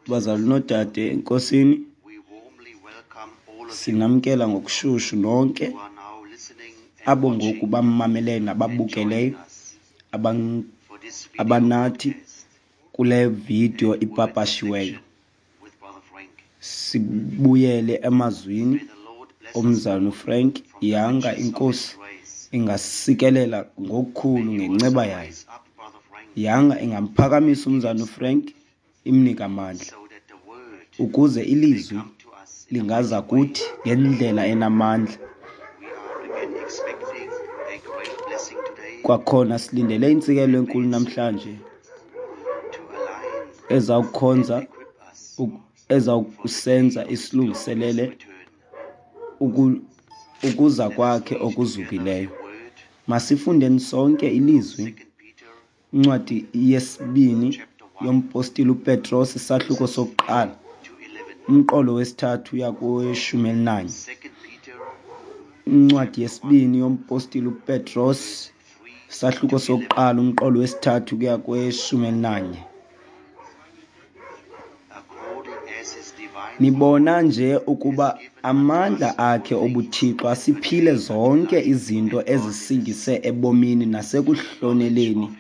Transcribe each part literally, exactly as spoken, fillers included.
Bazalwane noodade eNkosini, sinamkela ngokushushu nonke abo ngoku bamameleyo nababukeleyo abanathi kule vidiyo ipapashiweyo. Sibuyele emazwini omzalwana uFrank. Yanga iNkosi ingasikelela ngokukhulu ngenceba yayo. Yanga ingamphakamisa umzalwana uFrank, imnike amandla ukuze ilizwi lingaza kuthi ngendlela enamandla. Kwakhona silindele intsikelelo enkulu namhlanje ezawukhonza ezawukusenza isilungiselele ukuza kwakhe okuzukileyo. Masifundeni sonke ilizwi, incwadi yesibini yompostile uPetros, isahluko sokuqala, umqolo wesithathu uya koweshumi elinanye. Incwadi yesibini yompostile uPetros, isahluko sokuqala, umqolo wesithathu kuya kweshumi elinanye. Nibona nje ukuba amandla akhe obuThixo asiphile zonke izinto ezisingise ebomini nasekuhloneleni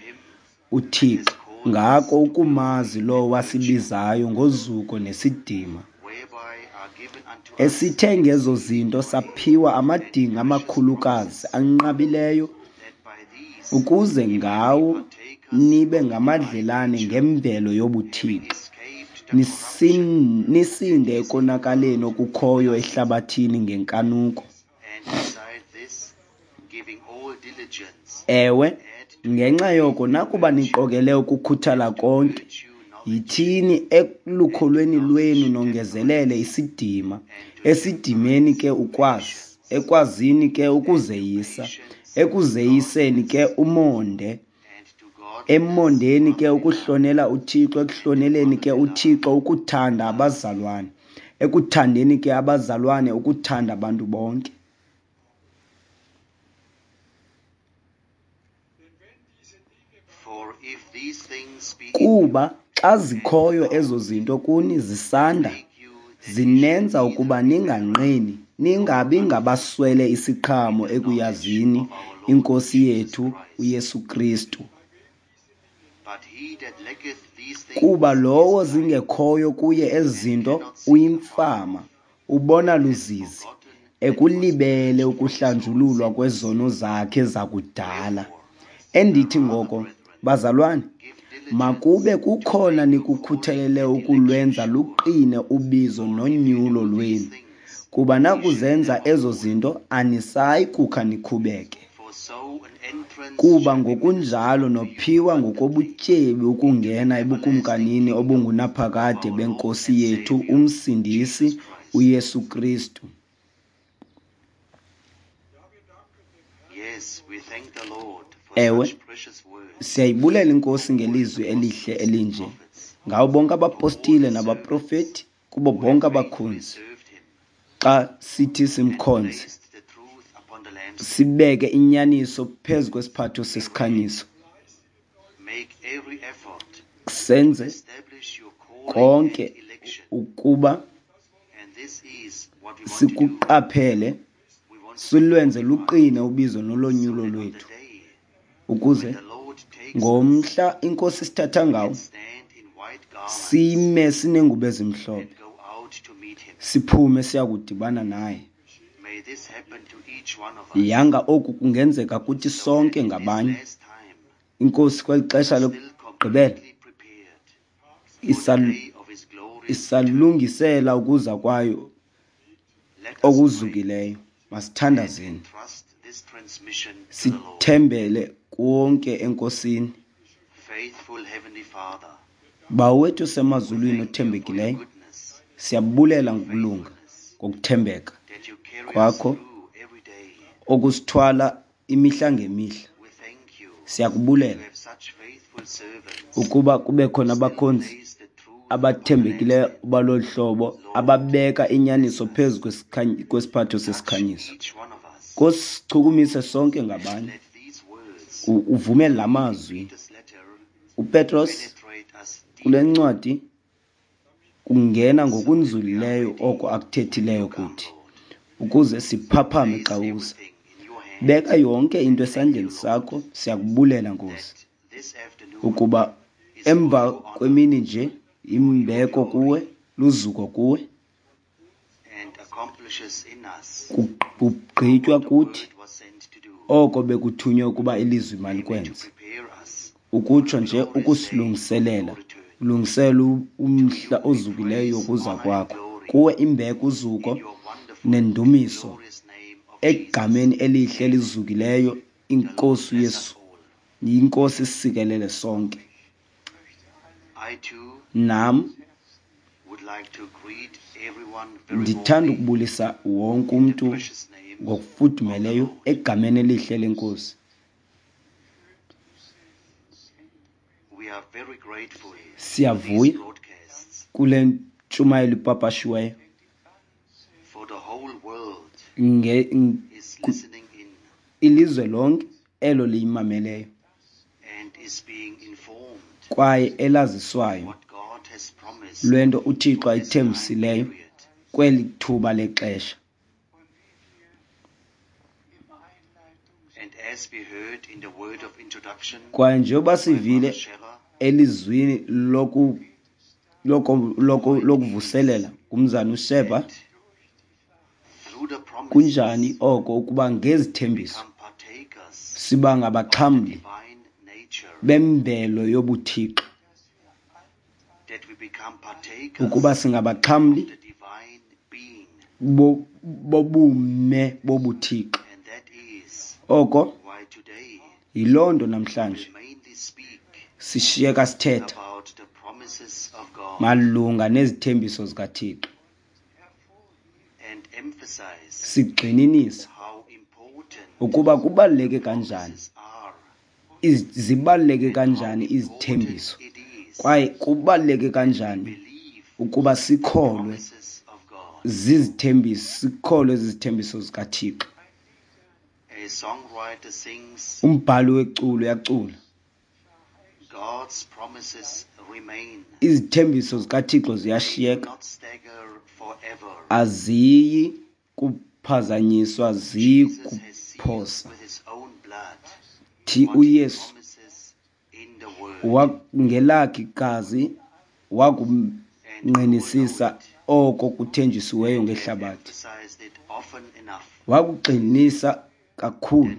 uThixo, ngako ukumazi lowo wasibizayo ngozuko nesidima, esithe ngezo zinto saphiwa amadinga amakhulukazi anqabileyo, ukuze ngawo nibe ngamadlelane ngemvelo yobuThixo, nisinde ekonakaleni okukhoyo ehlabathini ngenkanuko. Ewe, ngenxa yoko nakuba niqokele ukukhuthala konke, yithini elukholweni lwenu nongezelele isidima, esidimeni ke ukwazi, ekwazini ke ukuzeyisa, ekuzeyiseni ke umonde, emondeni ke ukuhlonela uThixo, ekuhloneleni ke uThixo ukuthanda abazalwane, ekuthandeni ke abazalwane ukuthanda abantu bonke. Kuba xa zikhoyo ezo zinto kuni zisanda, zinenza ukuba ninganqeni, ningabi ngabaswele isiqhamo ekuyazini iNkosi yethu uYesu Kristu. Kuba lowo zingekhoyo kuye ezi zinto uyimfama, ubona luzizi, ekulibele ukuhlanjululwa kwezono zakhe zakudala. Endithi ngoko, bazalwane, makube kukhona nikukhuthalele ukulwenza luqine ubizo nonyulo lwenu, kuba nakuzenza ezo zinto anisayi kukha nikhubeke. Kuba ngokunjalo nophiwa ngokobutyebi ukungena ebukumkanini obungunaphakade beNkosi yethu uMsindisi uYesu Kristu. Ewe, siyayibulela iNkosi ngelizwi elihle elinje, ngawo bonke abapostile nabaprofeti, kubo bonke abakhonzi. Xa sithi simkhonze, sibeke inyaniso phezu kwesiphatho sesikhanyiso, senze konke ukuba sikuqaphele, silwenze luqine ubizo nolonyulo lwethu, ukuze ngomhla iNkosi sithatha ngawo sime sinengubo ezimhlophe, siphume siyakudibana naye. Yanga oku kungenzeka kuthi sonke ngabanye. INkosi kweli xesha lokugqibela isalungisela ukuza kwayo okuzukileyo. Masithandazeni, sithembele konke eNkosini. Bawo wethu osemazulwini othembekileyo, siyabulela ngokulunga, ngokuthembeka kwakho okusithwala imihla ngemihla. Siyakubulela ukuba kube khona abakhonzi abathembekileyo balolu hlobo, ababeka inyaniso phezu kwesiphatho sesikhanyiso. Nkosi, sichukumise sonke ngabanye, uvumele la mazwi uPetros Kule ncwadi kungena ngokunzulileyo oko akuthethileyo kuthi, ukuze siphaphame xa uza. Beka yonke into esandleni sakho. Siyakubulela, Nkosi, ukuba emva kwemini nje imbeko kuwe, luzuko kuwe, kugqitywa kuthi oko bekuthunywe ukuba ilizwi malikwenze, ukutsho nje ukusilungiselela, ulungisela umhla ozukileyo wokuza kwakho. Kuwe imbeko, uzuko nendumiso egameni elihle elizukileyo iNkosi uYesu. INkosi isikelele sonke. Nam ndithanda ukubulisa wonke umntu ngokufudumeleyo egameni elihle leNkosi. Siyavuya kule ntshumayelo ipapashiweyo. Ilizwe lonke elo liyimameleyo kwaye elaziswayo lwento uThixo ayithembisileyo kweli thuba lexesha. Kwaye njengoba sivile elizwini loku lokuvuselela ngumzana uSheba, kunjani oko ukuba ngezithembiso siba ngabaxhamli bemvelo yobuThixo, ukuba singabaxhamli bobume bobuThixo. Oko yiloo nto namhlanje sishiyeka sithetha malunga nezithembiso zikaThixo, sigxininisa ukuba kubaluleke kanjani, zibaluleke kanjani izithembiso, kwaye kubaluleke kanjani ukuba sikholwe zizithembiso, sikholwe zizithembiso zikaThixo. Umbhali weculo uyacula, izithembiso zikaThixo ziyashiyeka, aziyi kuphazanyiswa, ziyi kuphosa. Thi uYesu ngelakhe igazi wakungqinisisa oko kuthenjisiweyo ngehlabathi, wakugxininisa kakhulu.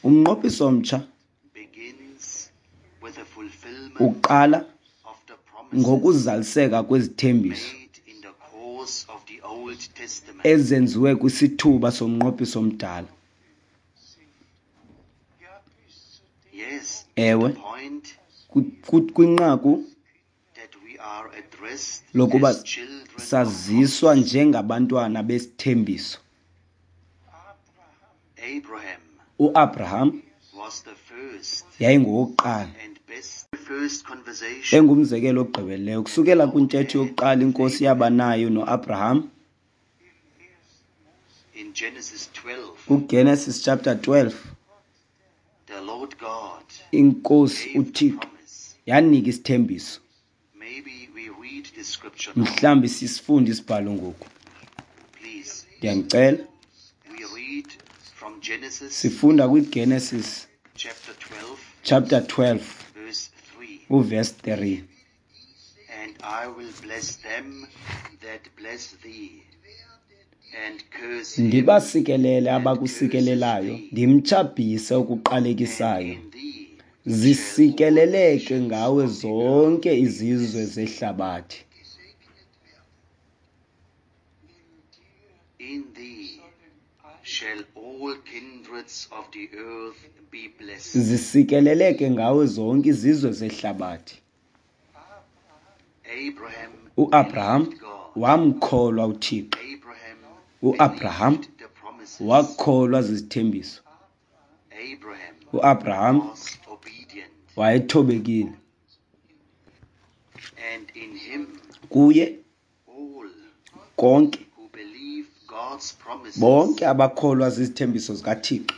Umnqophiso omtsha uqala ngokuzaliseka kwezithembiso ezenziwe kwisithuba somnqophiso omdala. Ewe, kwinqaku lokuba saziswa njengabantwana besithembiso. UAbraham yayingowokuqala, engumzekelo ogqibeleleyo. Kusukela kwintetho yokuqala iNkosi yaba nayo noAbraham kuGenesis chapter twelve, iNkosi uThixo yanika isithembiso. Mhlawumbi sisifunde isibhalo ngoku. Ndiyanicela. Sifunda kwiGenesis chapter twelve, uverse three. And I will bless them that bless thee, and curse him Ndibasikelele abakusikelelayo, ndimtshabhise okuqalekisayo. Zisikeleleke ngawe zonke izizwe zehlabathi. In thee shall all kindreds of the earth be blessed. Zisikeleleke ngawe zonke izizwe zehlabathi. Abraham uAbraham believed God. wamkholwa uThixo. Abraham uAbraham believed the promises. wakholwa zizithembiso. Abraham uAbraham was obedient. wayethobekile. And in him Kuye all konke who believe God's promises, bonke abakholwa zizithembiso zikaThixo,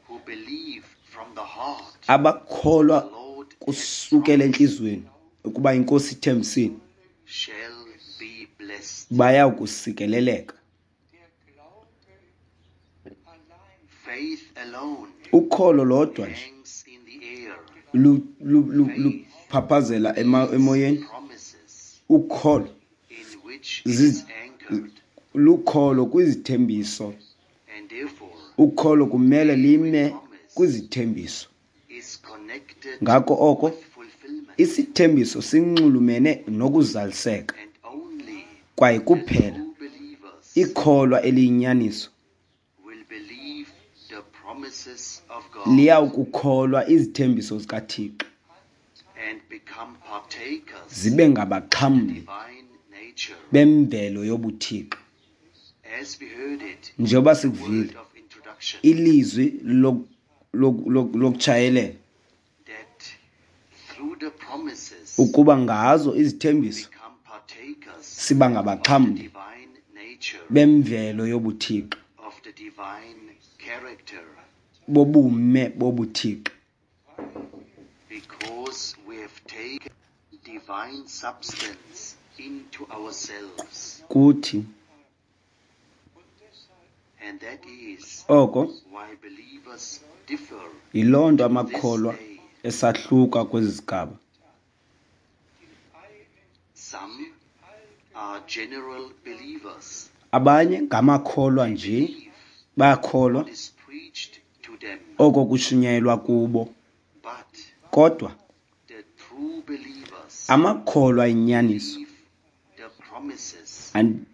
who believe from the heart abakholwa the Lord kusukela entliziyweni ukuba inkosi ithembisile, shall be blessed. Baya kusikeleleka. Faith alone Ukholo lodwa nje hangs in the air. lu- lu- lu- luphaphazela ema- emoyeni. Promises Ukholo in which it Ziz- is anchored, lukholo kwizithembiso. And therefore Ukholo kumele lime kwizithembiso. Is connected Ngako oko with fulfillment, isithembiso sinxulumene nokuzaliseka, and only kwaye the kuphela true believers ikholwa eliyinyaniso will believe the promises of God liyawukukholwa izithembiso zikaThixo and become partakers zibe ngabaxhamli divine nature. bemvelo yobuThixo. As we heard it, Njengoba the sikuvile word of introduction, ilizwi lok- lok- lok- lokutshayelela that through the promises ukuba ngazo izithembiso become partakers siba of the ngabaxhamli divine nature, bemvelo yobuThixo, of the divine character, bobume bobuThixo, because we have taken divine substance into ourselves. Kuthi. And that is Oko why believers differ yiloo nto to this amakholwa day. esahluka kwezi zigaba. Some are general believers. Abanye ngamakholwa nje, Believe bayakholwa what is preached to them. oko kushunyayelwa kubo, But kodwa the true believers amakholwa inyaniso believe the promises, and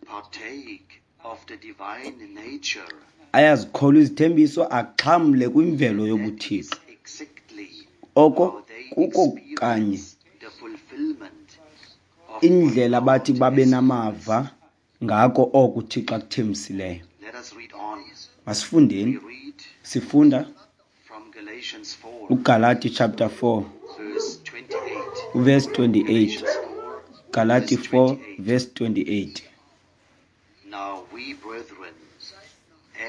partake of the divine nature. Ayazikholwa izithembiso, axhamle kwimvelo That is yobuThixo. exactly Oko how they kuko kanye experience the fulfillment of what indlela bathi God babe has namava ngako oko uThixo akuthembisileyo. Let us read on. Masifundeni. We read Sifunda from Galatians four, uGalati chapter four verse twenty-eight. Verse twenty-eight. Galatians four, Galati verse four twenty-eight. Verse twenty-eight. Now we, brethren,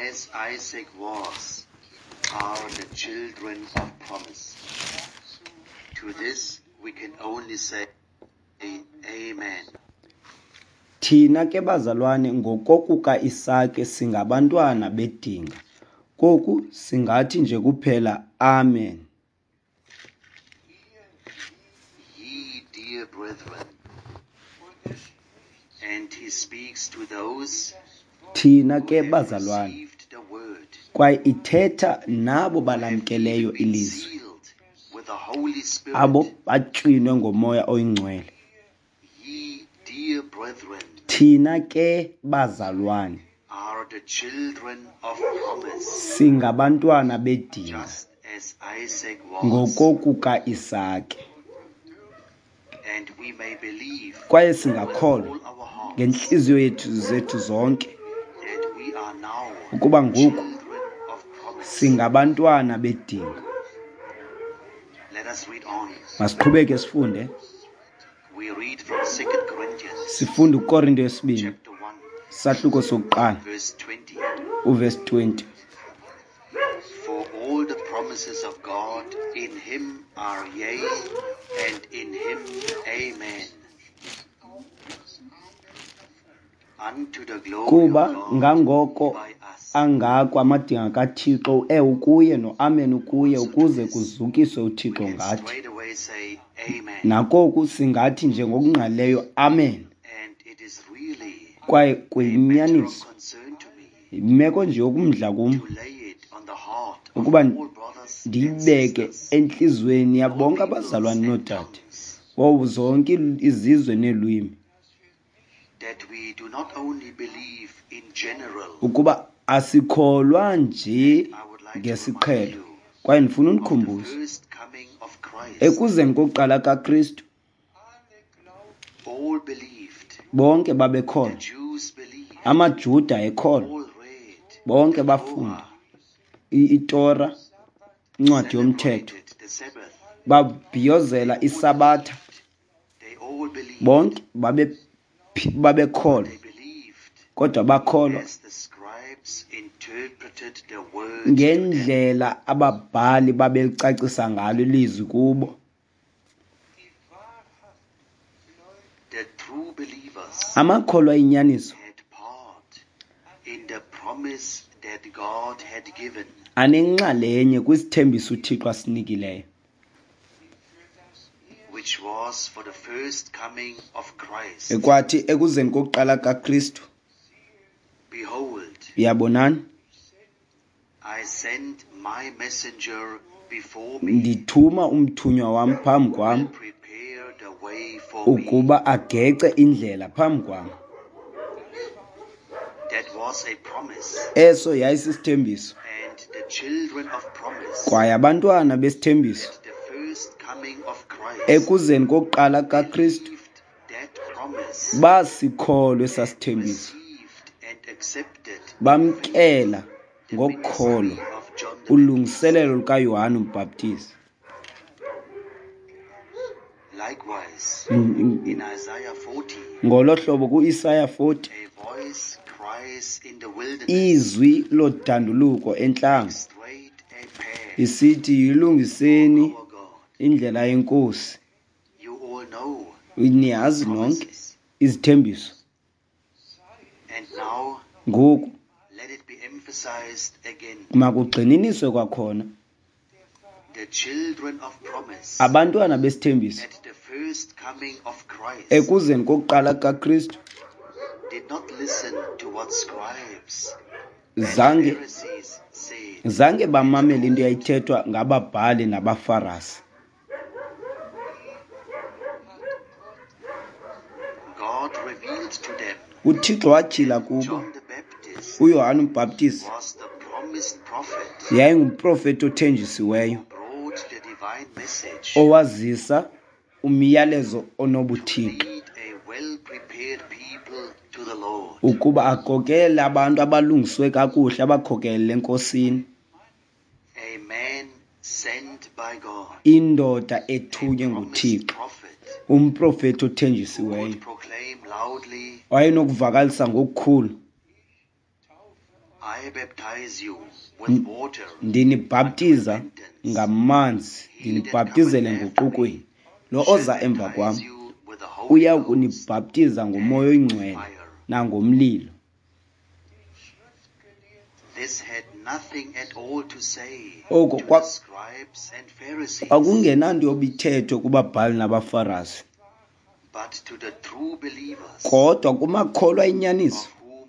as Isaac was, are the children of promise. To this we can only say, Amen. Thina ke bazalwane ngokokuka Isake singabantwana bedinga. Koku singathi nje kuphela amen. Ye dear brethren, and he speaks to those Thina who ke have bazalwane, received the word, kwaye ithetha nabo who have balamkeleyo even been ilizwi, sealed with the Holy Spirit. Abo batywinwe ngomoya oyingcwele. Ye dear brethren Thina ke bazalwane are the children of promise, singabantwana bedinga just as Isaac was, ngokokuka Isake, and we may believe kwaye with singakholwa all our hearts ngentliziyo yethu zethu zonke that we are now ukuba ngoku children of promise. singabantwana bedinga. Let us read on. Masiqhubeke sifunde. We read from Second Corinthians Sifunda uKorinto yesibini chapter one, sahluko sokuqala verse twenty. Uvesi twenty. For all the promises of God in him are yea, and in him amen. Unto the glory Kuba of God ngangoko by us. Angako amadinga kaThixo, uewe ukuye noamen ukuye, ukuze kuzukiswe We uThixo can ngathi. straight away say amen. Nakoku singathi nje ngokungqalileyo amen. And it is really Kwaye a matter of kuyinyaniso, concern to me yimeko nje yokumdla kum to lay it on the heart of ukuba all brothers and ndiyibeke sisters, entliziyweni all yabonke peoples abazalwane and noodade, tongues, wowo zonke izizwe neelwimi, that we do not only believe in general. Ukuba asikholwa nje I would like to remind ngesiqhelo. you Kwaye ndifuna of the unikhumbuze first coming of Christ. ekuzeni kokuqala kaKristu, All believed. bonke The babekholwa. Jews believed. AmaJuda ekholwa, All read bonke the bafunda Torah, i- iTora, incwadi yomthetho, celebrated the Sabbath. babhiyozela All iSabatha, believed. They all believed. bonke babe babekholwa, They believed kodwa bakholwa as the scribes interpreted interpreted the word to them. Ngendlela ababhali babelicacisa ngalo ilizwi kubo. The true believers Amakholwa inyaniso had part in the promise that God had given. Anenxalenye kwisithembiso uThixo asinikileyo, which was for the first coming of Christ. Ekwathi ekuzeni kokuqala kaKristu. Behold, Yabonani, I send my messenger before me, ndithuma umthunywa wam phambi kwam will prepare the way for me. Ukuba agece indlela phambi kwam. That was a promise. Eso yayisisithembiso. And the children of promise, Kwaye abantwana besithembiso at the first coming of Christ, ekuzeni kokuqala kaKristu believed that promise, basikholwe esasithembiso, received and accepted bamkela the ngokholo ministry of John the Baptist. Ulungiselelo lukaYohane uMbhaptizi. Likewise, Mm, in Isaiah forty, Ngolo hlobo kuIsaya forty, a voice cries in the wilderness, izwi lodanduluko entlango straight a path isithi, yilungiseni our God. Indlela yeNkosi. You all know Niyazi nonke promises. Izithembiso. And now Ngoku let it be emphasized again. Makugxininiswe kwakhona. The children of promise Abantwana besithembiso at the first coming of Christ ekuzeni kokuqala kaKristu did not listen to what scribes and zange Pharisees said. Zange bamamele into eyayithethwa ngababhali nabaFarasi. God revealed to them UThixo watyhila kubo John the Baptist uYohane uMbhaptizi was the promised prophet yayingumprofeti othenjisiweyo who brought the divine message owazisa umyalezo onobuthixo to lead a well-prepared people to the Lord. Ukuba akhokelele abantu abalungiswe kakuhle abakhokelele eNkosini. A man sent by God, Indoda ethunywe a nguThixo, promised prophet umprofeti who othenjisiweyo could proclaim loudly, wayenokuvakalisa ngokukhulu, I baptize you with water ndinibhaptiza ngamanzi, He that ndinibhaptizele cometh after me enguqukweni, lo shall oza emva kwam baptize you with the Holy uya Ghost kunibhaptiza ngoMoya oyiNgcwele fire. Nangomlilo. This had nothing at all to say Oko to kwa- the scribes and Pharisees, kwakungenanto yobithethwe kubabhali nabaFarasi, but to the true believers, kodwa kumakholwa inyaniso of whom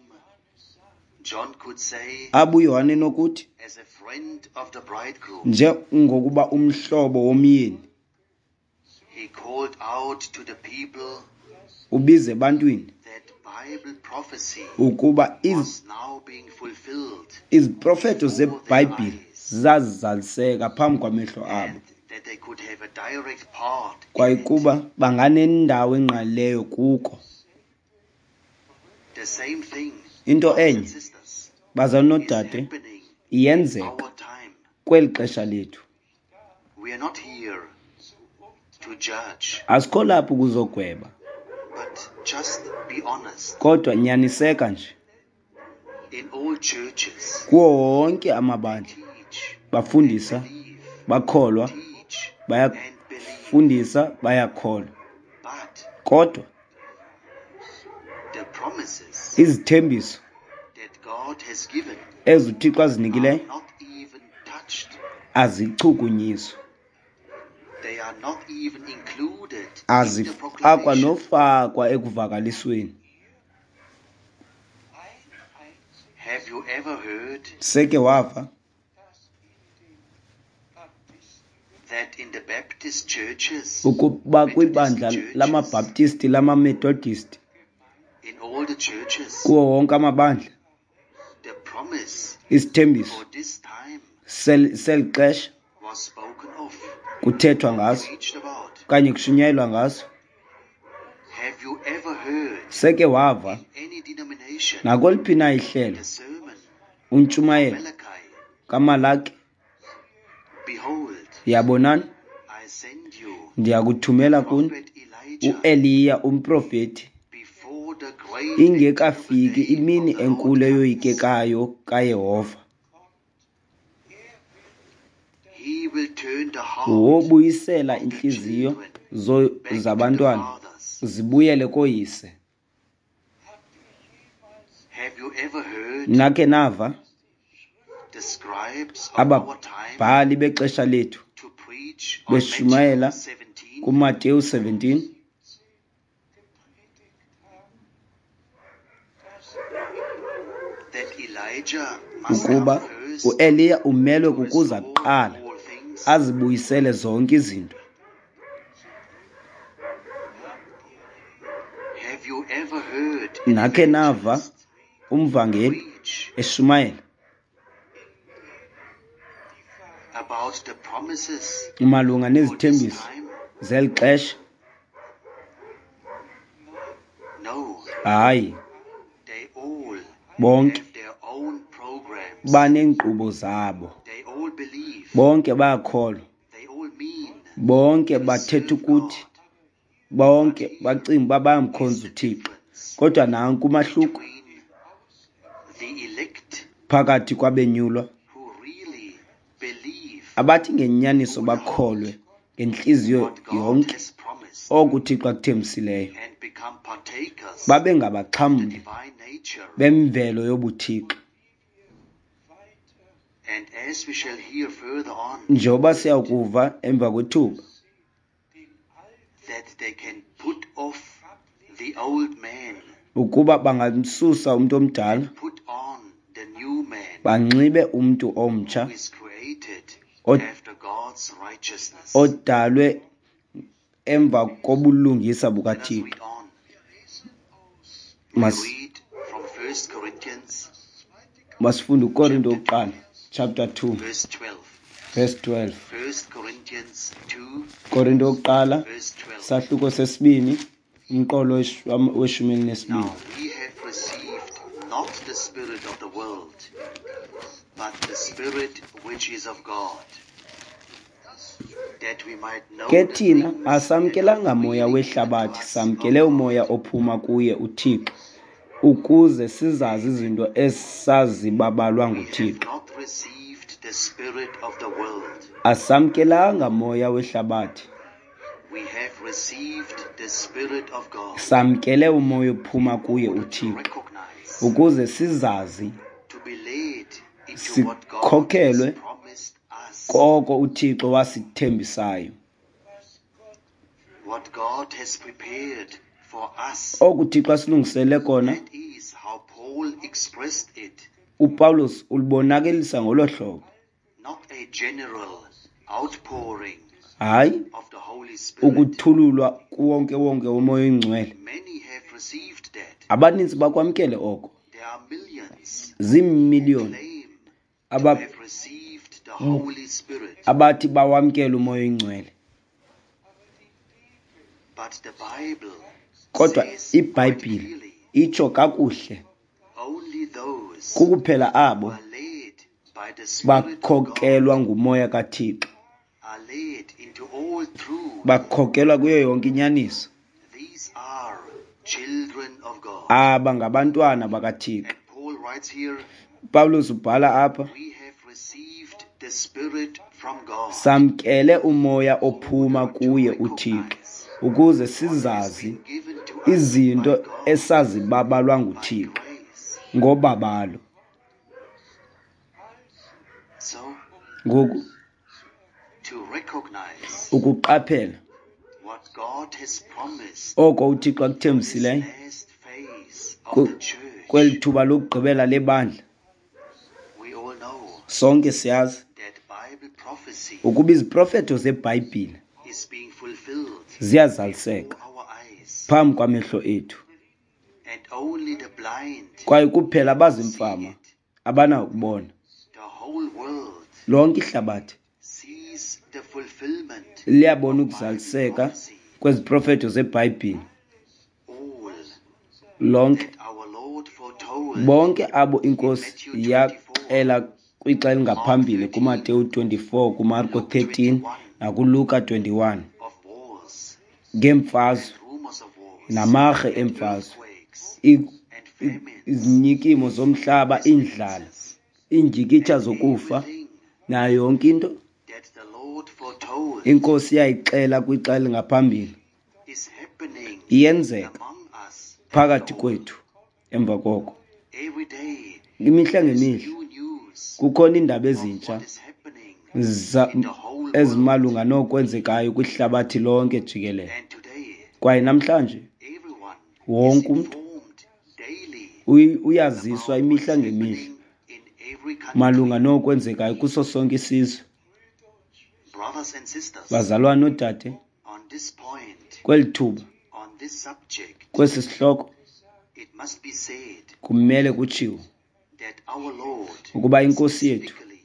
John could say, abo uYohane nokuthi as a friend of the bridegroom, njengokuba umhlobo womyeni he called out to the people ubize ebantwini that Bible prophecy ukuba iz- was now being fulfilled iziprofeto zeBhayibhile zazizaliseka phambi kwamehlo abo and that they could have a direct part in kwaye it. kuba banganendawo engqalileyo kuko. The same thing, Into brothers and enye, sisters, bazalwane is noodade, happening in iyenzeka our time. kweli xesha lethu. We are not here to judge, Asikho lapho ukuzogweba, but just be honest. Kodwa nyaniseka nje. In all churches, Kuwo wonke amabandla teach, bafundisa, believe, bakholwa, teach, and believe. Bayafundisa, bayakholwa, But kodwa the promises izithembiso that God has given ezi uThixo azinikileyo are not even touched. azichukunyiswa. They are not even included in the Azifakwa proclamation. nofakwa ekuvakalisweni. Have you ever heard Seke wava that in the Baptist churches, ukuba kwibandla Methodist churches, lamaBaptisti, lamaMethodist, in all the churches, kuwo wonke amabandla, the promise isithembiso for this time sel- seli xesha was spoken of, kuthethwa ngaso preached about? okanye kushunyayelwa ngaso? Have you ever heard Seke wava in any denomination nakweliphi na ihlelo the sermon untshumayelo Malachi? kaMalaki? Behold, Yabonani, I send you ndiyakuthumela kuni prophet Elijah uEliya umprofeti before the Ingekafiki imini enkulu eyoyikekayo kaYehova. Wobuyisela iintliziyo zabantwana zibuyele kooyise. Nakhe nava ababhali bexesha lethu beshumayela kuMateyu seventeen ukuba uEliya umelwe kukuza kuqala azibuyisele zonke izinto? Nakhe nava umvangeli eshumayela malunga nezithembiso zeli xesha? Hayi, bonke baneenkqubo zabo, bonke bayakholwa, bonke bathetha ukuthi, bonke bacinga uba bayamkhonza uThixo. Kodwa nanku umahluko phakathi kwabenyulwa abathi ngenyaniso bakholwe ngentliziyo yonke oko uThixo akuthembisileyo, babe ngabaxhamli bemvelo yobuThixo. Njengoba siyakuva emva kwethuba, ukuba bangamsusa umntu omdala banxibe umntu omtsha odalwe emva kobulungisa bukaThixo. Masifunde uKorinto wokuqala chapter two verse twelve. Korinto wokuqala sahluko sesibini umqolo weshumi elinesibini. Now we have received not the spirit of the world, but the spirit which is of God, that we might know. Ke thina asamkelanga moya wehlabathi, samkele umoya ophuma kuye uThixo, ukuze sizazi izinto esazibabalwa nguThixo. Asamkelanga moya wehlabathi, samkele umoya ophuma kuye uThixo, ukuze sizazi sikhokhelwe koko uThixo wasithembisayo. Oku uThixo asilungisele kona, uPawulos ulibonakalisa ngolo hlobo. Hayi ukuthululwa kuwonke wonke womoya oyingcwele. Abaninzi bakwamkele oko. Ziimiliyoni abathi bawamkele umoya oyingcwele. Kodwa iBhayibhile itsho kakuhle, kukuphela abo bakhokelwa ngumoya kaThixo, bakhokelwa kuyo yonke inyaniso. Aba ngabantwana bakaThixo. Pawulos ubhala apha, samkele umoya ophuma kuye uThixo, ukuze sizazi izinto esazibabalwa nguThixo ngobabalo. Ngoku ukuqaphela oko uThixo akuthembisileyo kweli thuba lokugqibela lebandla, sonke siyazi ukuba iziprofeto zeBhayibhile ziyazaliseka phambi kwamehlo ethu, kwaye kuphela abazimfama abanakubona. Lonke ihlabathi liyabona ukuzaliseka kweziprofeto zeBhayibhile. Lonke, bonke abo iNkosi yaxela kwixa elingaphambili kuMateyu twenty-four, kuMarko thirteen nakuLuka twenty-one, ngeemfazwe namarhe eemfazwe and famines, Izinyikimo zomhlaba, iindlala, iindyikitya zokufa, everything nayo yonke into that the Lord foretold inkosi yayixela kwixa elingaphambili is happening iyenzeka among us phakathi after all. kwethu. Emva koko Every day imihla there's ngemihla new news kukhona iindaba of ezintsha what is happening za- in the whole world. ezimalunga nokwenzekayo kwihlabathi lonke jikelele. And today, Kwaye namhlanje everyone is wonke umntu informed daily uy- uyaziswa about imihla what's ngemihla happening in every country. malunga nokwenzekayo kuso sonke isizwe. Brothers and sisters, Bazalwane noodade, on this point, kweli thuba, on this subject, kwesi sihloko, it must be said kumele kutshiwo that our Lord ukuba inkosi yethu specifically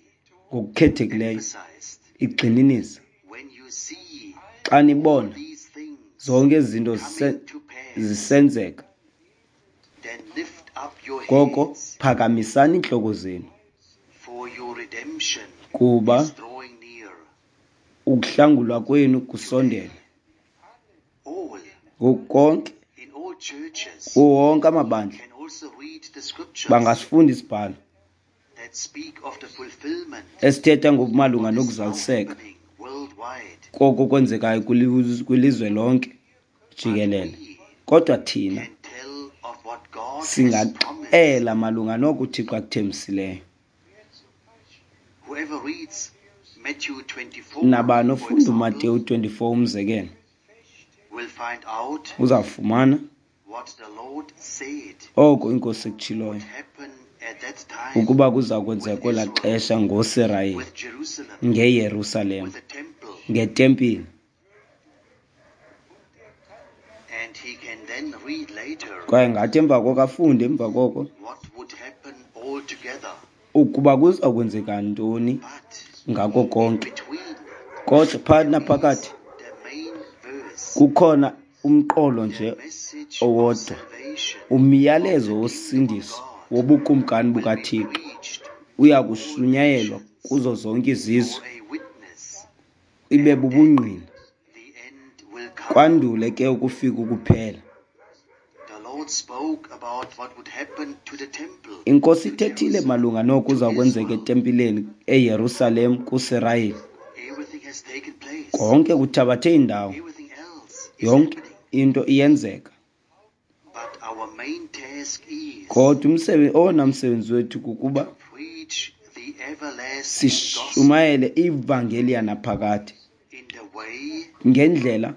ngokukhethekileyo emphasized, igxininisa when you see xa nibona these things zonke ezi zinto zise- coming to pass, zisenzeka, then lift up your koko heads, phakamisani iintloko zenu, for your redemption kuba is drawing near. ukuhlangulwa kwenu kusondele. All Ngoku konke in all churches kuwo wonke amabandla can also read the scriptures bangasifunda isibhalo that speak of the fulfillment esithetha ngokumalunga of what is now nokuzaliseka happening worldwide. koko kwenzekayo kwiliz- kwilizwe lonke But jikelele. we Kodwa thina can tell of what God has promised. singaxela malunga noko uThixo akuthembisileyo. Whoever reads Matthew twenty-four, Nabani for ofunda example, uMateyu twenty-four umzekelo will find out uzawufumana what the Lord said oko inkosi ekutshiloyo would happen at that time ukuba kuza kwenzeka with kwelaa Israel, xesha ngoSirayeli, with Jerusalem, ngeYerusalem, with the temple, ngetempile. and he can then read later Kwaye ngathi emva koko afunde emva koko what would happen altogether. ukuba kuza kwenzeka ntoni But ngako in konke. between, Kodwa phakathi there is naphakathi the main verse, kukhona umqolo the nje message of owodwa, salvation of umyalezo the kingdom of wosindiso God wobukumkani will be bukaThixo preached uya to all kushunyayelwa nations kuzo zonke izizwe, for a witness, ibe and then bubungqina, the end will come. kwandule ke ukufika ukuphela. The Lord spoke about what would happen to the temple, Inkosi to ithethile Jerusalem, malunga noko to kuza kwenzeka Israel. etempileni eYerusalem kuSirayeli. Everything has taken place. Konke kuthabathe indawo, Everything else is yonke happening. into iyenzeka. But our main task is Kodwa umsebenzi, owona msebenzi wethu kukuba to preach the everlasting gospel sishumayele ivangeli yanaphakade in the way ngendlela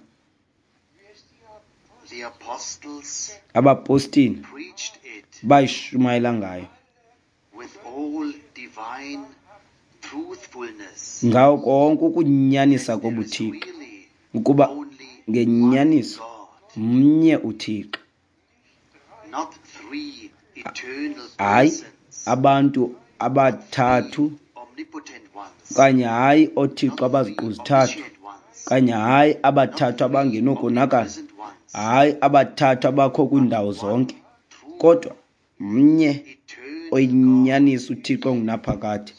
the apostles abapostile preached it bayishumayela ngayo with all divine truthfulness. ngawo konke ukunyanisa That there is kobuThixo, really ukuba only one ngenyaniso God, mnye uThixo, not three eternal hayi persons, abantu not three abathathu, omnipotent ones, okanye hayi oothixo not three abaziqu zithathu, omniscient ones, okanye hayi not abathathu three abangenokonakala, omnipresent ones, hayi abathathu abakho but kwiindawo one zonke, true kodwa mnye eternal God oyinyaniso uThixo ongunaphakade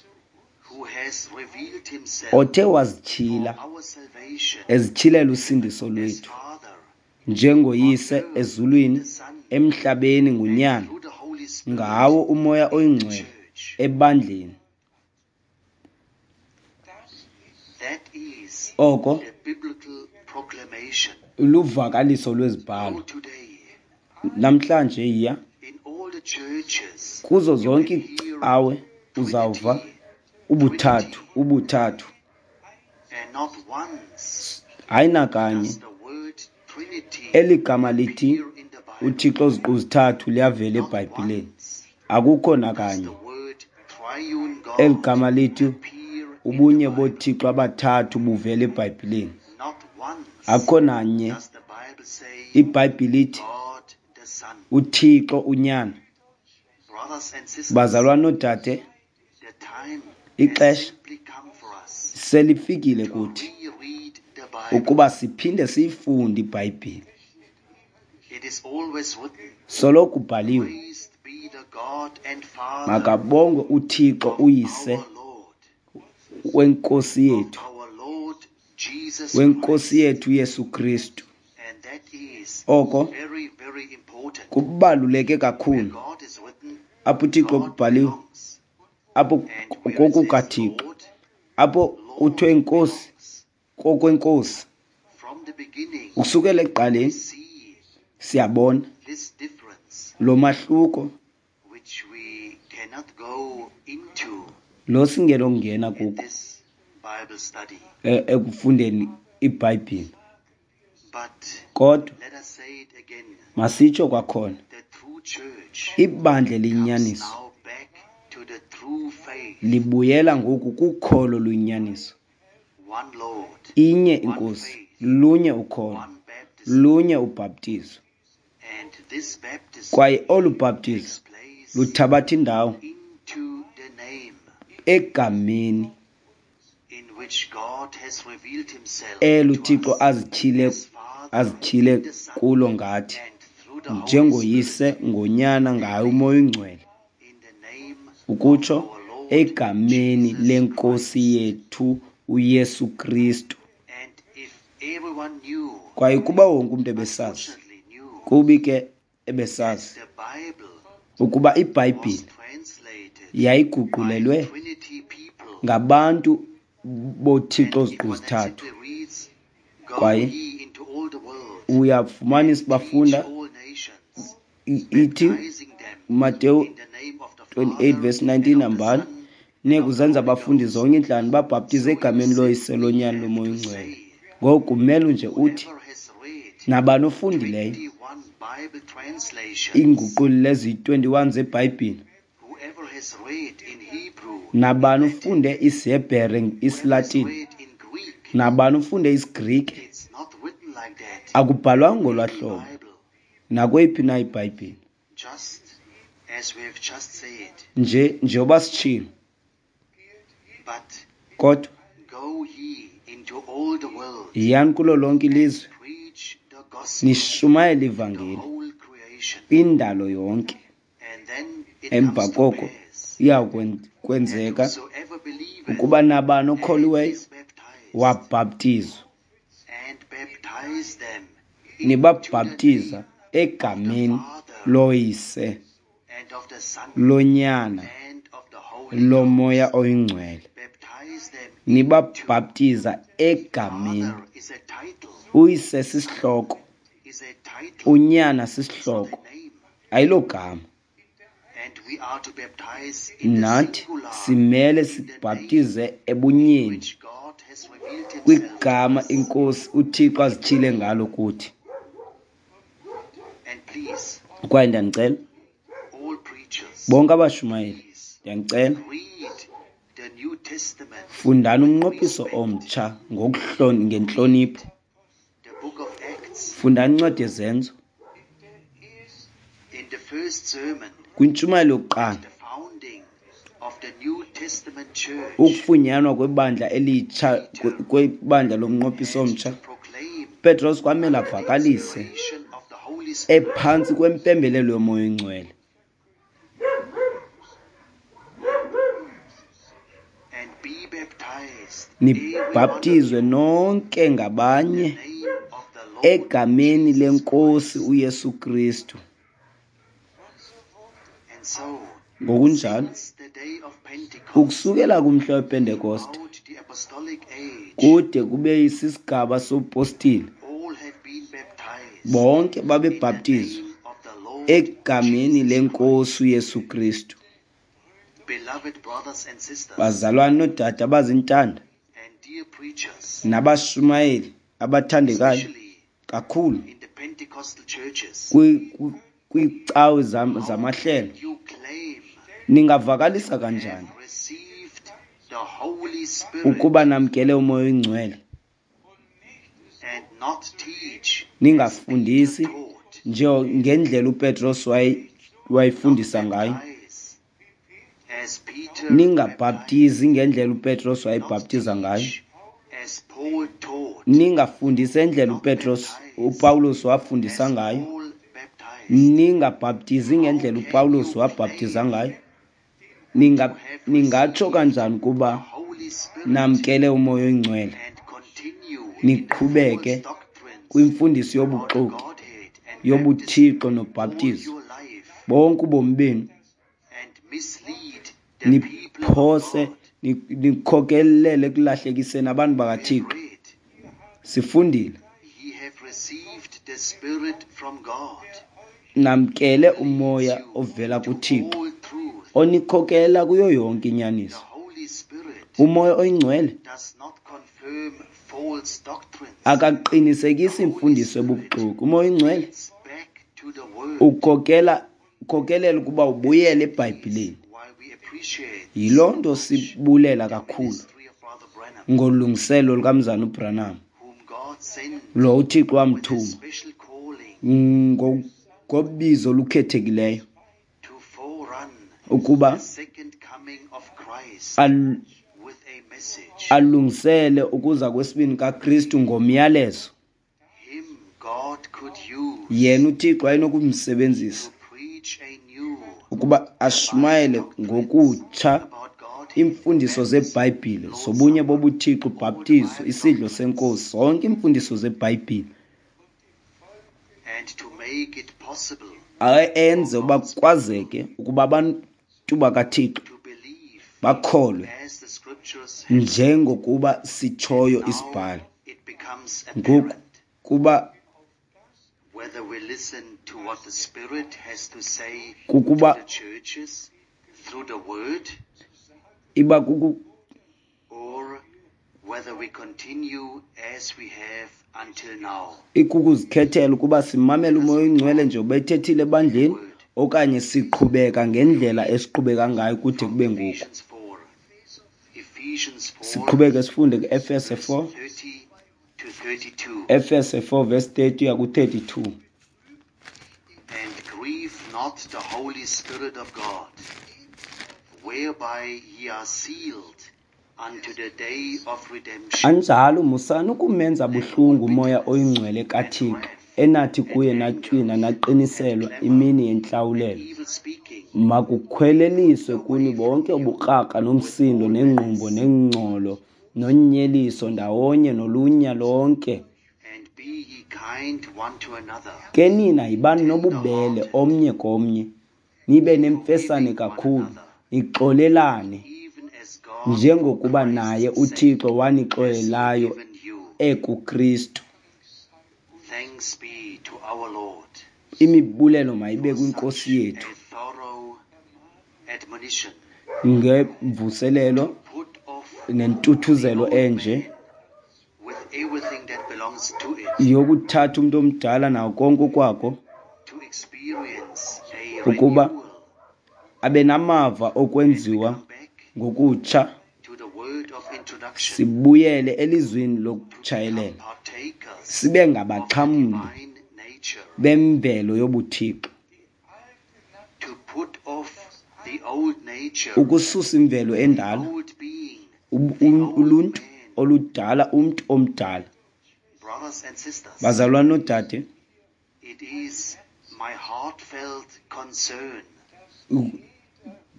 who has revealed himself othe for wazityhila our salvation ezityhilela usindiso as lwethu Father njengoyise on earth in ezulwini, the Son, emhlabeni and nguNyana, through the Holy Spirit ngawo uMoya in the oyiNgcwele church. ebandleni. That is Oko the biblical proclamation. luvakaliso Go lwezibhalo. today Namhlanje yiya in all the churches, kuzo you zonke can hear iicawe uzawuva Trinity, ubuthathu, Trinity, ubuthathu. and not once Hayi nakanye does the word Trinity eli gama lithi appear in the Bible. uThixo ziqu zithathu liyavela Not eBhayibhileni. once Akukho does nakanye the word triune eli God gama lithi appear in the ubunye Bible. boThixo abathathu buvela eBhayibhileni. Not once Akukho nanye does the Bible say iBhayibhile ithi God the Son. uThixo uNyana. Brothers and sisters, Bazalwane noodade, the time has ixesha simply come for us selifikile to kuthi reread the Bible. ukuba siphinde siyifunde iBhayibhile. It is always written, Soloko kubhaliwe, Praised be the God and Father makabongwe uThixo of uYise our Lord, wenkosi of yethu, our Lord Jesus wenkosi Christ. yethu Yesu Kristu. And that is Oko very, very important. Kubaluleke kakhulu. Apho uThixo kubhaliwe, apho kokukaThixo, apho kuthiwe Nkosi, kokwenkosi. Ukusukela ekuqaleni siyabona lo mahluko lo singenokungena kuko ekufundeni iBhayibhile. Kodwa masitsho kwakhona, ibandla eliyinyaniso libuyela ngoku kukholo luyinyaniso. Inye iNkosi, lunye ukholo, lunye ubhaptizo. Kwaye olu bhaptizo luthabatha indawo egameni elo uThixo azityhile azityhile kulo ngathi njengoYise, ngoNyana, ngaye uMoya oyiNgcwele, ukutsho egameni leNkosi yethu uYesu Kristu. Kwaye kuba wonke umntu ebesazi, kubi ke ebesazi ukuba iBhayibhile yayiguqulelwe ngabantu boThixo oziqu zithathu. Kwaye uyafumanisa bafunda ithi Mateyu twenty-eight verse nineteen, hambani niye kuzenza abafundi zonke iintlanga, babhaptize egameni loYise, loNyana, loMoya oyiNgcwele. Ngoku kumele nje uthi nabani ofundileyo iinguqulelo eziyi-twenty-one zeBhayibhile, nabani ufunde isiHebhere, isiLatini, nabani ufunde isiGrike, akubhalwanga ngolwaa hlobo nakweyiphi na iBhayibhile. Nje njengoba sitshilo, kodwa yiyani kulo lonke ilizwe nishumayele ivangeli kwindalo yonke. Emva koko iya kwenzeka ukuba nabani okholiweyo wabhaptizwa, nibabhaptiza egameni loYise, loNyana, loMoya oyiNgcwele. Nibabhaptiza egameni. UYise sisihloko, uNyana sisihloko, ayilogama. Nathi simele sibhaptize ebunyeni kwigama iNkosi uThixo azityhile ngalo kuthi. Kwaye ndiyanicela bonke abashumayeli, ndiyanicela fundani umnqophiso omtsha ngentlonipho. Fundani incwadi yeZenzo. Kwintshumayelo yokuqala, ukufunyanwa kwebandla elitsha, kwebandla lomnqophiso omtsha, Petros kwamele avakalise ephantsi kwempembelelo yoMoya oyiNgcwele. Nibhaptizwe nonke ngabanye egameni leNkosi uYesu Kristu. Ngokunjalo, ukusukela kumhla wePentekoste kude kube sisigaba sobupostile, bonke babebhaptizwa egameni leNkosi uYesu Kristu. Bazalwane noodade abazintanda nabashumayeli abathandekayo kakhulu kwiicawe zamahlelo, ningavakalisa kanjani ukuba namkele uMoya oyiNgcwele ningafundisi njengendlela uPetros wayefundisa ngayo, ningabhaptizi ngendlela uPetros wayebhaptiza ngayo, ningafundisi endlela uPetros uPawulos wafundisa ngayo, ningabhaptizi ngendlela uPawulos wabhaptiza ngayo? Ninga ningatsho kanjani kuba namkele uMoya oyiNgcwele niqhubeke kwimfundiso yobuxoki yobuthixo nobhaptizo bonke ubomi benu, niphose nikhokelele ekulahlekiseni abantu bakaThixo. Sifundile, namkele umoya ovela kuThixo onikhokelela kuyo yonke inyaniso. Umoya oyingcwele akaqinisekisi imfundiso ebubuxoki. Umoya oyingcwele ukhokela ukhokelela ukuba ubuyele eBhayibhileni. Yiloo nto sibulela kakhulu ngolungiselo lukaMzana uBranham, lo uThixo wamthuma ngobizo olukhethekileyo ukuba alungisele ukuza kwesibini kaKristu ngomyalezo. Yena uThixo wayenokumsebenzisa ukuba ashumayele ngokutsha iimfundiso zeBhayibhile zobunye bobuThixo, ubhaptizo, isidlo senkosi, zonke iimfundiso zeBhayibhile, enze uba kwazeke ukuba abantu bakaThixo bakholwe njengokuba sitshoyo isibhalo. Ngoku kuba kukuba iba kuku ikukuzikhethela ukuba simamele umoya oyingcwele njengoba ethethile ebandleni okanye siqhubeka ngendlela esiqhubeka ngayo kude kube ngoku. Siqhubeke sifunde ku-Efese four, Efese four verse thirty uya ku-thirty-two. And grieve not the Holy Spirit of God, whereby ye are sealed unto the day of redemption. Anjalo musani ukumenza buhlungu umoya oyingcwele kaThixo, enathi kuye natywina naqiniselwa imini yentlawulelo. Makukhweleliswe kuni bonke ubukrakra nomsindo nengqumbo nengcolo nonyeliso ndawonye nolunya lonke. Ke nina yibani nobubele omnye komnye, nibe nemfesane kakhulu, nixolelane njengokuba naye uThixo wanixolelayo ekuKristu. Imibulelo mayibe kwinkosi yethu ngemvuselelo nentuthuzelo enje yokuthatha umntu omdala nawo konke okwako ukuba abe namava okwenziwa ngokutsha, sibuyele elizwini lokutshayelela, sibe ngabaxhamli bemvelo yobuthixo, ukususa imvelo endala, uluntu oludala, umntu omdala. Bazalwane noodade,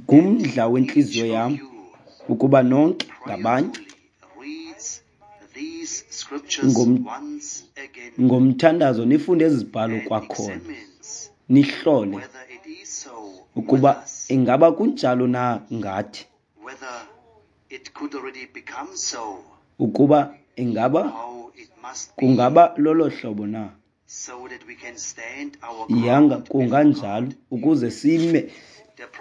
ngumdla wentliziyo yam ukuba nonke ngabanye ngomthandazo nifunde ezi zibhalo kwakhona, nihlole ukuba ingaba kunjalo na ngathi, ukuba ingaba kungaba lolo hlobo na. Yanga kunganjalo ukuze sime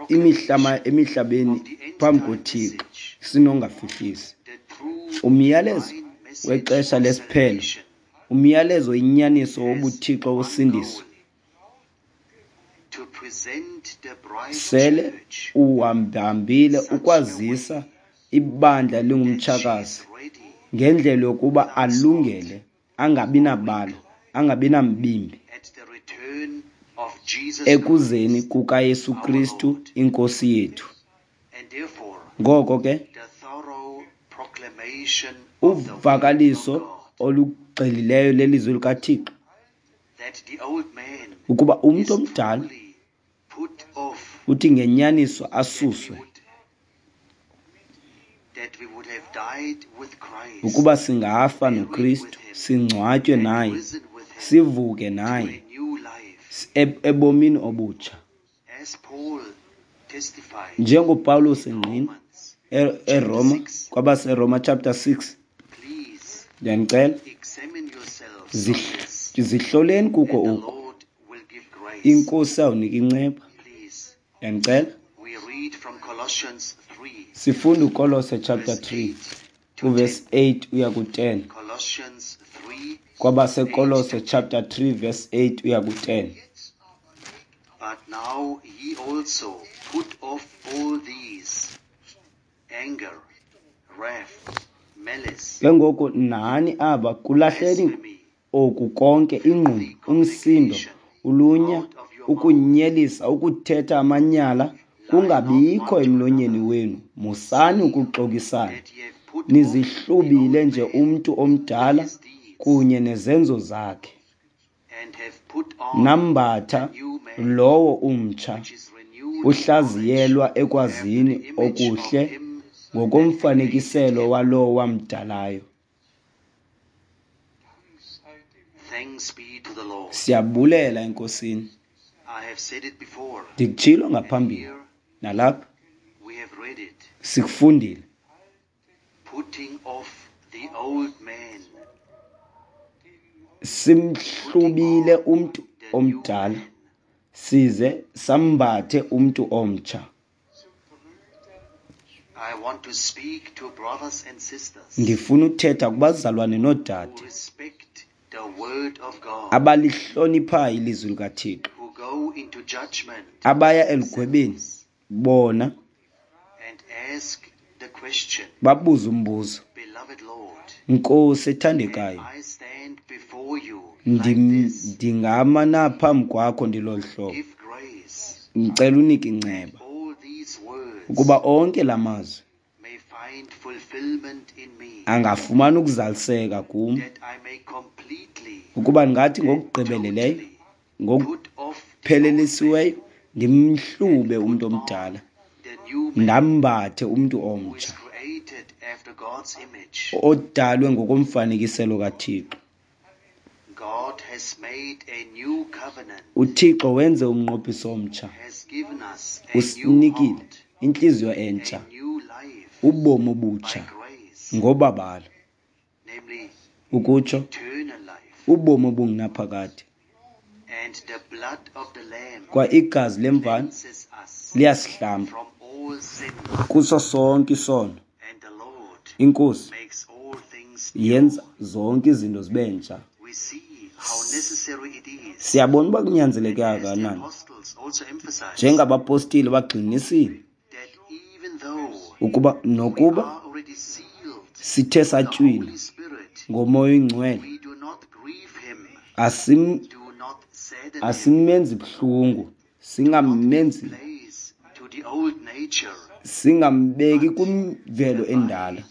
imihlaba emihlabeni phambi koThixo sinongafihlisi. Umyalezo wexesha lesiphelo, umyalezo inyaniso wobuthixo wosindiso sele uhambahambile ukwazisa ibandla lingumtshakazi ngendlela yokuba alungele, angabi nabala, angabi nambimbi ekuzeni kukaYesu Kristu inkosi yethu. Ngoko ke uvakaliso olugxilileyo lelizwi likaThixo ukuba umntu omdala uthi ngenyaniso asuswe, ukuba singafa noKristu, singcwatywe naye, sivuke naye Ebomini obutsha. NjengoPawulos engqina eRoma, kwabaseRoma chapter six, ndiyanicela zihloleni kuko oku, iNkosi awunika inceba. Ndiyanicela sifunda uKolose chapter three uverse eight uya ku ten. KwabaseKolose chapter three verse eight uya ku ten. But now ye also put off all these: anger, wrath, malice, Ke ngoku nani aba kulahleni oku konke: ingqumbo, umsindo, ulunya, ukunyelisa, ukuthetha amanyala kungabikho emlonyeni wenu. Musani ukuxokisana, that ye have put off nizihlubile nje umntu omdala kunye nezenzo zakhe, and have put on nambatha lowo umtsha, which is renewed uhlaziyelwa ekwazini okuhle ngokomfanekiselo walowo wamdalayo. Thanks be to the Lord. Siyabulela eNkosini. I have said it before. Ndikutshilo ngaphambili, nalapha We have read it. sikufundile. Putting off the old man, Simhlubile umntu omdala size sambathe umntu omtsha. I want to speak to brothers and sisters Ndifuna uthetha kubazalwane noodade who respect the word of God, abalihloniphayo ilizwi likaThixo, who go into judgment abaya elugwebeni bona and ask the question, babuze umbuzo: Beloved Lord, Nkosi ethandekayo, I stand before you like ndim- this. ndingama na phambi kwakho ndilolu hlobo? Give grace. Ndicela unike inceba All these words ukuba onke la mazwi may find fulfillment in me, angafumana ukuzaliseka kum, that I may completely, ukuba ndingathi ngokugqibeleleyo, put off the old ngokuphelelisiweyo, ndimhlube umntu omdala, the new man ndambathe umntu who is omtsha created after God's image. odalwe ngokomfanekiselo kaThixo. God has made a new covenant, UThixo wenze umnqophiso omtsha, has given us a new usinikile heart, intliziyo entsha, a new life ubomi by obutsha grace, ngobabalo, namely ukutsho eternal life. ubomi obungunaphakade. And the blood of the Lamb Kwa igazi lemvana cleanses us liyasihlamba from all sin, kuso sonke isono. and the Lord INkosi makes all things new. yenza zonke izinto zibe ntsha. We see how necessary it is, Siyabona uba kunyanzeleke as the kangakanani, apostles also emphasized, njengabapostile bagxininisile that even though ukuba we nokuba are already sealed sithe the satywina Holy Spirit, ngoMoya oyiNgcwele, we do not grieve him, asim do not sadden him, asimenzi buhlungu, singamenzi place to the old nature, singambeki kwimvelo endala,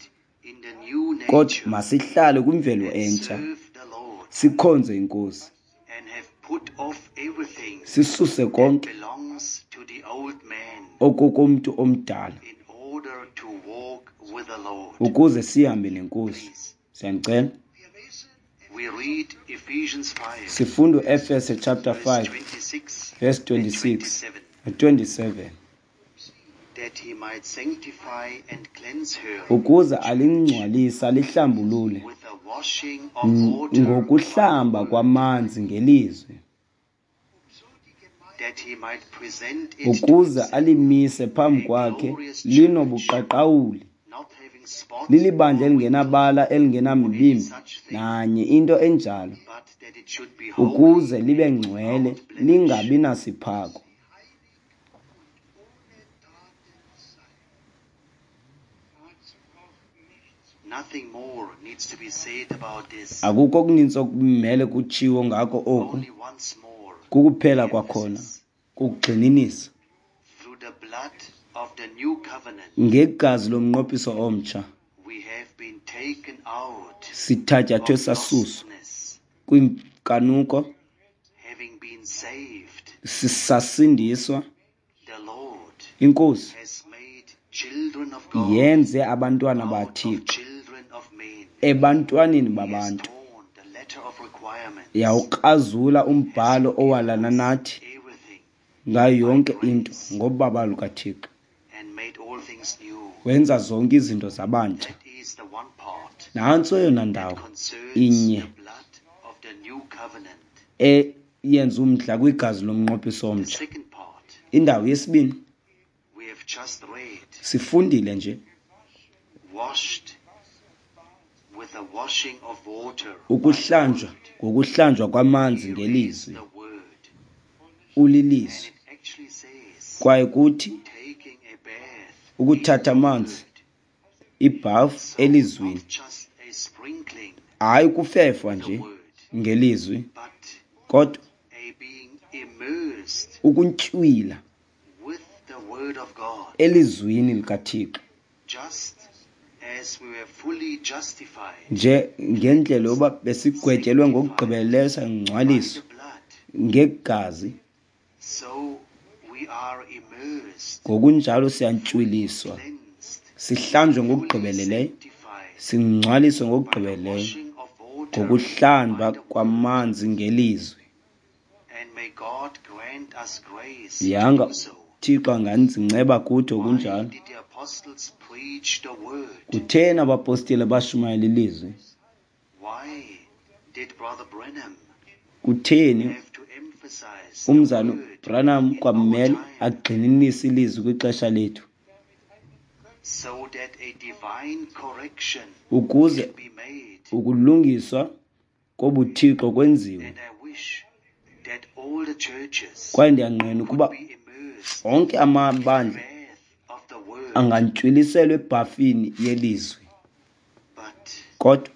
in the new kodwa nature, masihlale kwimvelo and entsha, serve the Lord, sikhonze iNkosi, and have put off everything sisuse that konke belongs to the old man okokomntu omdala in order to walk with the Lord. ukuze sihambe neNkosi. Please, Siyanicela. we read Ephesians five, Sifunda uEfese chapter verse five twenty-six verse and twenty-six twenty-seven, twenty-seven, that he might sanctify and cleanse her ukuze alingcwalise alihlambulule with the washing of water ngokuhlamba kwamanzi ngelizwi, that he might present it to ukuze himself, alimise phambi kwakhe linobuqaqawuli, not having spot lilibandla or elingenabala, elingenamibimbi such thing, nanye into enjalo, but that it should be holy ukuze libe and ngcwele, without blemish. lingabi nasiphako. Nothing more needs to be said about this. Akukho okuninzi okumele kutshiwo ngako oku. Only once more, Kukuphela kwakhona kukugxininisa: through the blood of the new covenant, ngegazi lomnqophiso omtsha we have been taken out sithatyathwe of sasuswa lostness, kwinkanuko, having been saved. Sisasindiswa. The Lord INkosi has made children of God yenze abantwana out of baThixo children of men. ebantwaneni He has babantu. torn the letter of requirement Yawukrazula umbhalo owalana nathi ngayo yonke into ngobabalo lukaThixo. Wenza zonke izinto zabantsha. Nantso eyona ndawo inye eyenza umdla kwigazi lomnqophiso omtsha. Indawo yesibini sifundile nje ukuhlanjwa ngokuhlanjwa kwamanzi ngelizwi, ulilizwi. Kwaye kuthi ukuthatha amanzi ibhafu elizwini, hayi ukufefwa nje ngelizwi, kodwa ukuntywila elizwini likaThixo nje ngendlela yoba besigwetyelwe ngokugqibeleleyo sangcwaliswa ngegazi, ngokunjalo siyantywiliswa, sihlanjwe ngokugqibeleleyo, singcwaliswe ngokugqibeleleyo ngokuhlamba kwamanzi ngelizwi. Yanga Thixo anganzinceba kuthi okunjalo. Kutheni abapostile bashumayela ilizwi? Kutheni umzana Branham kwamele agxininise ilizwi kwixesha lethu ukuze ukulungiswa kobuthixo kwenziwe? Kwaye ndiyanqena ukuba onke amabandla angantywilisela ebhafini yelizwi, kodwa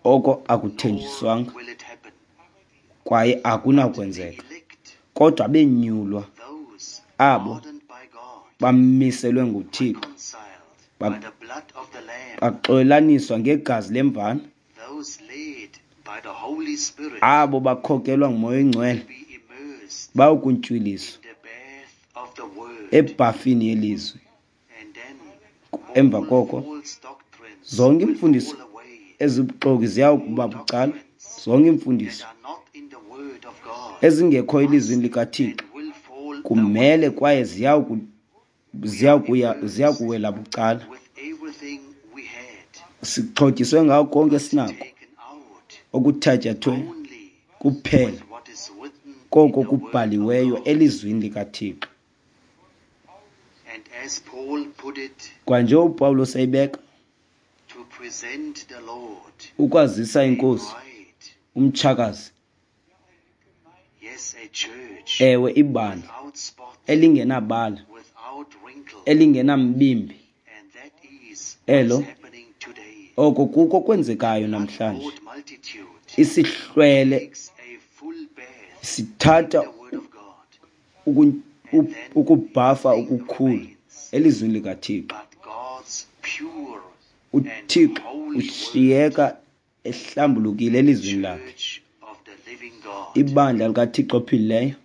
oko akuthenjiswanga kwaye akunakwenzeka. Kodwa abenyulwa, abo bamiselwe nguThixo, baxolelaniswa ngegazi lemvana, abo bakhokelwa nguMoya oyiNgcwele bayokuntywiliswa ebhafini yelizwi. Emva koko zonke iimfundiso ezibuxoki ziyakuba bucala, zonke iimfundiso ezingekho elizwini likaThixo kumele kwaye ziyakuya ziyakuwela bucala. Sixhotyiswe ngako konke esinako okuthatyathwe kuphela koko kubhaliweyo elizwini likaThixo. Kwanje uPawulos eyibeka ukwazisa inkosi umtshakazi, ewe ibandla elingenabala, elingenambimbi, elo oko kuko kwenzekayo namhlanje. Isihlwele sithatha ukubhafa okukhulu elizwini likaThixo. uThixo ushiyeka ehlambulukile elizwini lakhe. Ibandla likaThixo ophilileyo.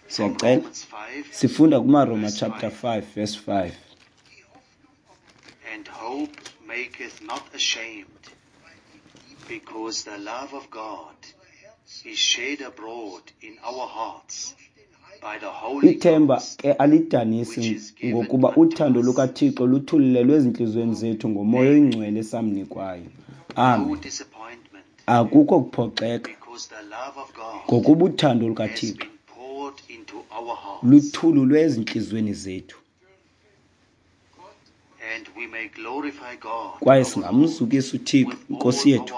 Siyacela sifunda kumaRoma chapter five verse five. And hope maketh not ashamed, because the love of God is shed abroad in our hearts by the Holy Ithemba ke alidanisi, ngokuba uthando lukaThixo luthululelwe ezintliziyweni zethu ngoMoya oyiNgcwele esamnikwayo. Amen. Akukho kuphoxeka, ngokuba uthando lukaThixo luthululwe ezintliziyweni zethu. Kwaye singamzukisa uThixo iNkosi yethu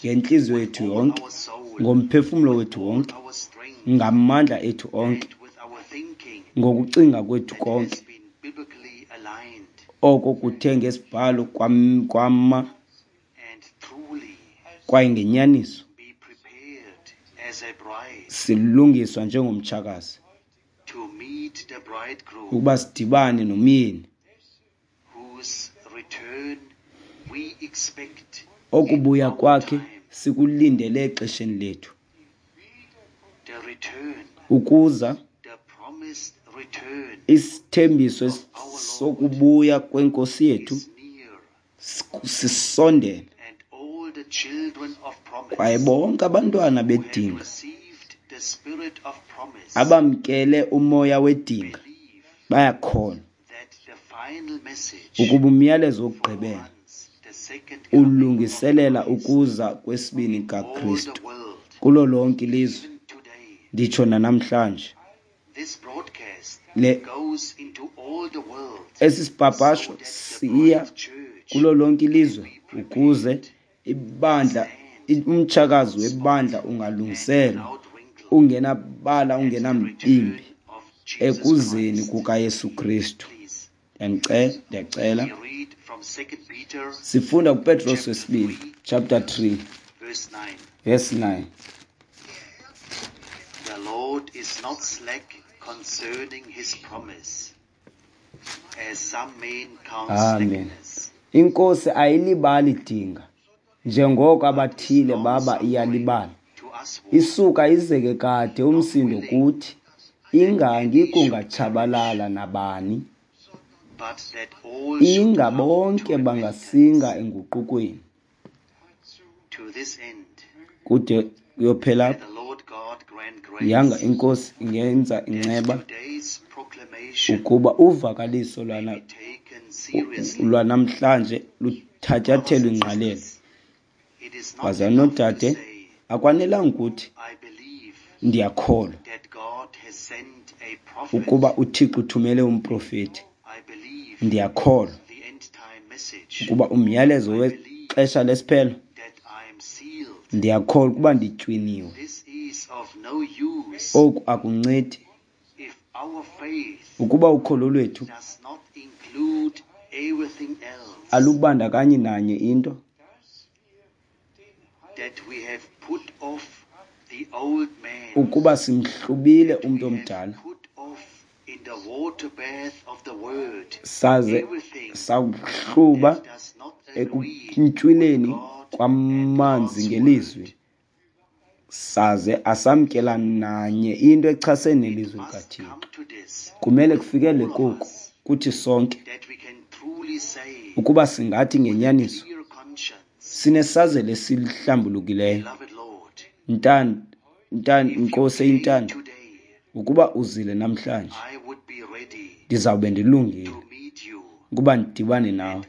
ngentliziyo yethu yonke, ngomphefumlo wethu wonke, ngamandla ethu onke, ngokucinga kwethu konke. Oko kuthe ngesibhalo kwama kwaye ngenyaniso silungiswa njengomtshakazi ukuba sidibane nomyeni okubuya kwakhe sikulindele exesheni lethu. Ukuza isithembiso sokubuya kwenkosi yethu Sisondele. Kwaye bonke abantwana bedinga abamkele umoya wedinga bayakholwa ukuba umyalezo wokugqibela ulungiselela ukuza kwesibini kaKristu kulo lonke ilizwe, nditsho nanamhlanje. Le esi sipapasho siya kulo lonke ilizwe ukuze ibandla, umtshakazi webandla ungalungiselwa ungenabala, ungenambimbi ekuzeni kukaYesu Kristu. Ndiyacela, sifunda kuPetros wesibini chapter three verse nine. The Lord is not slack concerning his promise, as some men count slackness. Inkosi ayilibali dinga njengoko abathile baba iyalibala. Isuka izeke kade umsindo kuthi ingangi kungatshabalala nabani, inga bonke bangasinga enguqukweni. Kude kuyophela yanga inkosi ingenza inceba ukuba uvakaliso lwana lwanamhlanje luthatyathelwe ingqalelo. Bazalwane noodade, akwanelanga ukuthi ndiyakholwa ukuba uThixo uthumele umprofeti. Ndiyakholwa ukuba umyalezo wexesha lesiphelo, ndiyakholwa ukuba nditywiniwe. Oku akuncedi ukuba ukholo lwethu alubandakanyi nanye into, ukuba simhlubile umntu omdala saze sakuhluba ekuntywileni kwamanzi ngelizwi, saze asamkela nanye into echasene nelizwi likaThixo. Kumele kufikele koku kuthi sonke ukuba singathi ngenyaniso sinesazelo esihlambulukileyo. Ntando, ntando, Nkosi eyintando, ukuba uzile namhlanje, ndizawube ndilungile ukuba ndidibane nawe,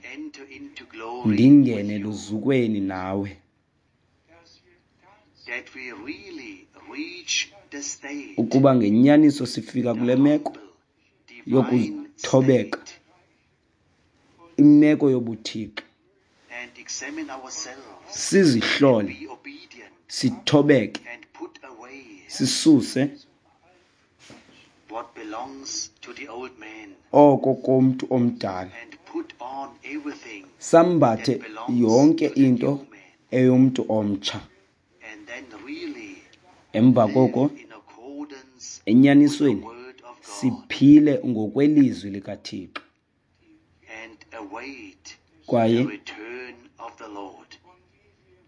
ndingene luzukweni nawe. Ukuba ngenyaniso sifika kule meko yokuthobeka, imeko yobuthixo, sizihlole, sithobeke, sisuse oko komntu omdala, sambathe yonke into eyomntu omtsha. Emva koko, enyanisweni, siphile ngokwelizwi likaThixo kwaye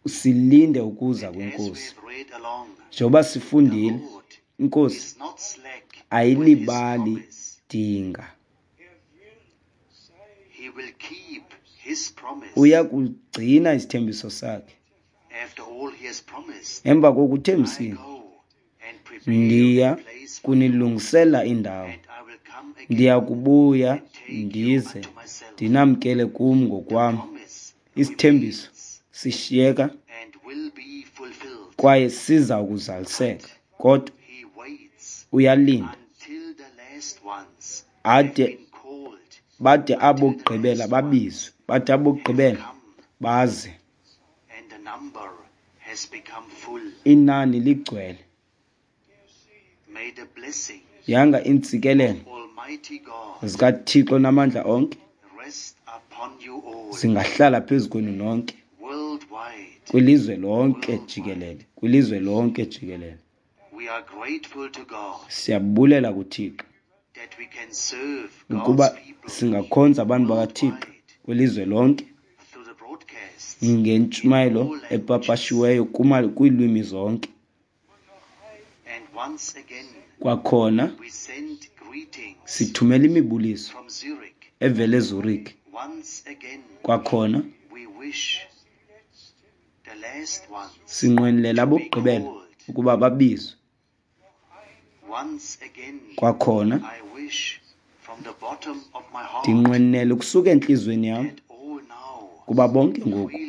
silinde ukuza kweNkosi. Njengoba sifundile, iNkosi ayilibali dinga. Uya kugcina isithembiso sakhe. Emva kokuthembisile, ndiya kunilungisela indawo, ndiya kubuya ndize ndinamkele kum ngokwam. Isithembiso sishiyeka kwaye siza kuzaliseka, kodwa uyalinda ade bade abokugqibela babizwe, bade abokugqibela baze. Inani ligcwele. Yanga iintsikelelo zikaThixo namandla onke zingahlala phezu kwenu nonke, kwilizwe lonke jikelele, kwilizwe lonke jikelele. Siyabulela kuThixo ukuba singakhonza abantu bakaThixo kwilizwe lonke ngentshumayelo epapashiweyo kwiilwimi zonke. Kwakhona sithumela imibuliso evela eZurich, Kwakhona sinqwenela abokugqibela ukuba babizwe. Kwakhona ndinqwenela ukusuka entliziyweni yam kuba bonke ngoku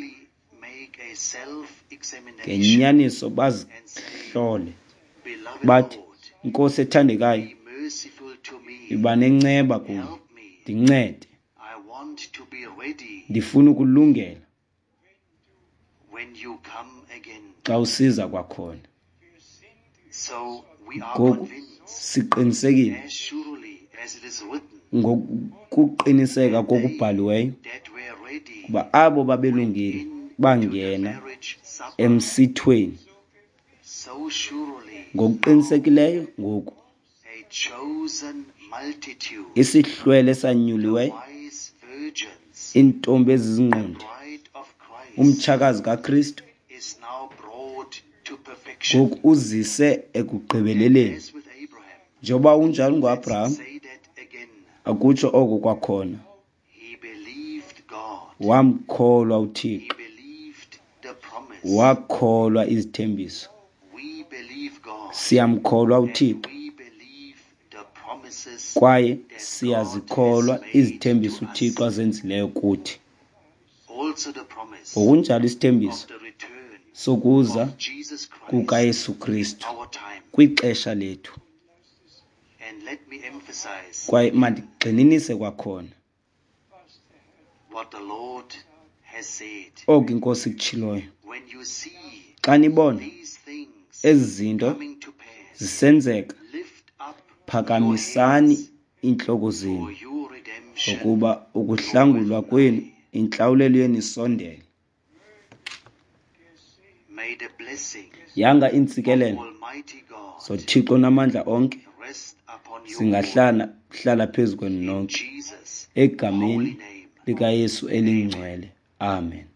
ngenyaniso bazihlole bathi, Nkosi ethandekayo, yiba nenceba kum, ndincede. Ndifuna ukulungela xa usiza kwakhona. Ngoku siqinisekile ngokuqiniseka kokubhaliweyo kuba abo babelungile bangena emsithweni. Ngokuqinisekileyo ngoku isihlwele esanyuliweyo, iintombi ezizingqondi, umtshakazi kaKristu ngoku uzise ekugqibeleleni. Njengoba unjalo ngoAbraham, akutsho oko kwakhona. Wamkholwa uThixo, wakholwa izithembiso. Siyamkholwa uThixo kwaye siyazikholwa izithembiso uThixo azenzileyo kuthi. Ngokunjalo isithembiso sokuza kukaYesu Kristu kwixesha lethu. Kwaye mandigxininise kwakhona oku iNkosi ikutshiloyo. Xa nibona ezi zinto zisenzeka, phakamisani iintloko zenu, ngokuba ukuhlangulwa kwenu, intlawulelo yenu isondele. Yanga iintsikelelo zoThixo namandla onke zingahlala hlala phezu kwenu nonke, egameni likaYesu elingcwele. Amen.